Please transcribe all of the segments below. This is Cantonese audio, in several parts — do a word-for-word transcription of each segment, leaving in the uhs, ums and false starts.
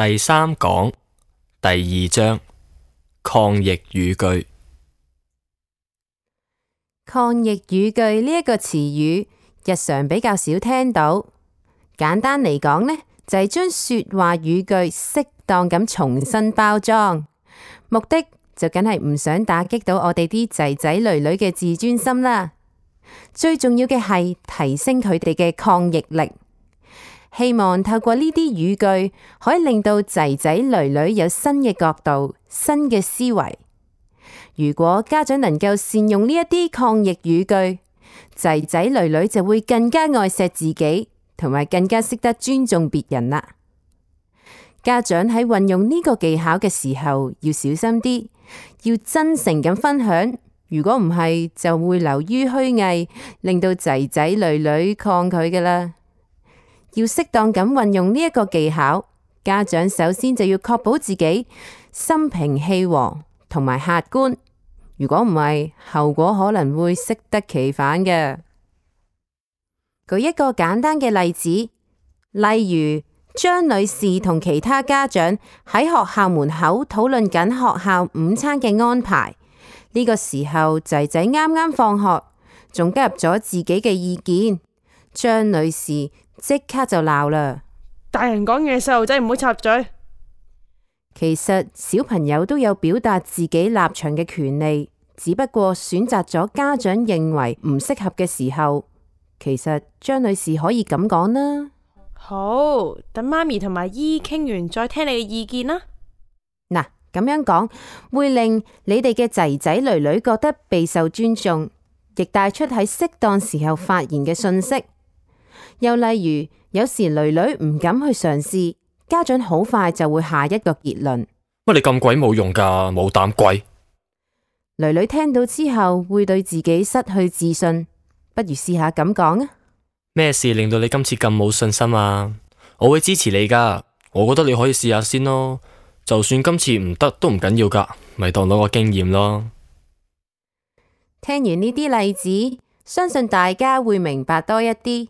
第三講第二章抗疫語句。抗疫語句呢一個詞語，日常比較少聽到。簡單嚟講呢，就係將說話語句適當咁重新包裝，目的就梗係唔想打擊到我哋啲仔仔女女嘅自尊心啦。最重要嘅係提升佢哋嘅抗疫力。希望透過呢啲語句，可以令到仔仔女女有新嘅角度、新嘅思維。如果家長能夠善用呢一啲抗疫語句，仔仔女女就會更加愛錫自己，同埋更加識得尊重別人啦。家長喺運用呢個技巧嘅時候，要小心啲，要真誠咁分享。如果唔係，就會流於虛偽，令到仔仔女女抗拒㗎啦。要適當咁運用呢一個技巧，家長首先就要確保自己心平氣和同埋客觀。如果唔係，後果可能會適得其反嘅。舉一個簡單嘅例子，例如張女士同其他家長喺學校門口討論緊學校午餐嘅安排。呢個時候，仔仔啱啱放學，仲加入咗自己嘅意見。張女士即刻就鬧啦！大人講嘢，細路仔唔好插嘴。其實小朋友都有表達自己立場嘅權利，只不過選擇咗家長認為唔適合嘅時候，其實張女士可以咁講啦。好，等媽咪同埋姨傾完再聽你嘅意見啦。嗱，咁樣講會令你哋嘅仔仔女女覺得備受尊重，亦帶出喺適當時候發言嘅訊息。又例如，有時女女唔敢去嘗試，家長好快就會下一個結論。乜你咁鬼冇用噶，冇膽鬼！女女聽到之後會對自己失去自信，不如試下咁講啊！咩事令到你今次咁冇信心啊？我會支持你噶，我覺得你可以試下先咯。就算今次唔得都唔緊要噶，咪當攞個經驗咯。聽完呢啲例子，相信大家會明白多一啲。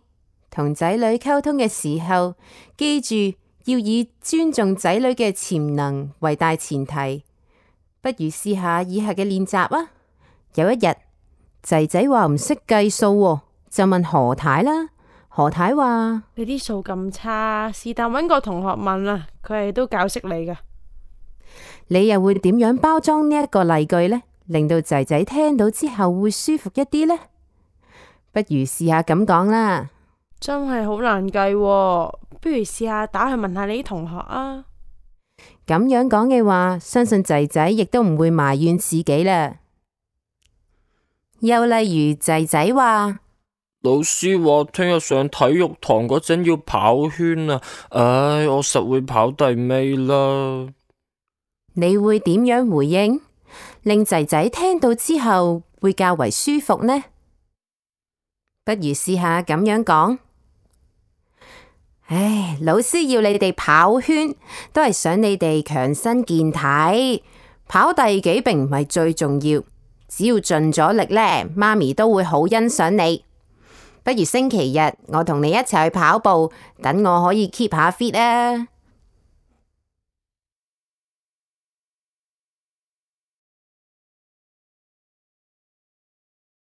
同仔女溝通嘅時候，記住要以尊重仔女嘅潛能為大前提。不如試下以下嘅練習啊！有一日，仔仔話唔識計數，就問何太啦。何太話：你啲數咁差，是但搵個同學問啦，佢係都教識你噶。你又會點樣包裝呢一個例句呢？令到仔仔聽到之後會舒服一啲呢？不如試下咁講啦。真係好難計喎，不如試下打去問下你啲同學啊。咁樣講嘅話，相信仔仔亦都唔會埋怨自己啦。又例如仔仔話：老師話聽日上體育堂嗰陣要跑圈啊，唉，我實會跑第尾啦。你會點樣回應，令仔仔聽到之後會較為舒服呢？不如試下咁樣講。唉，老師要你哋跑圈，都係想你哋強身健體。跑第幾並唔係最重要，只要盡咗力呢，媽咪都會好欣賞你。不如星期日我同你一齊去跑步，等我可以 keep 下 fit 啊！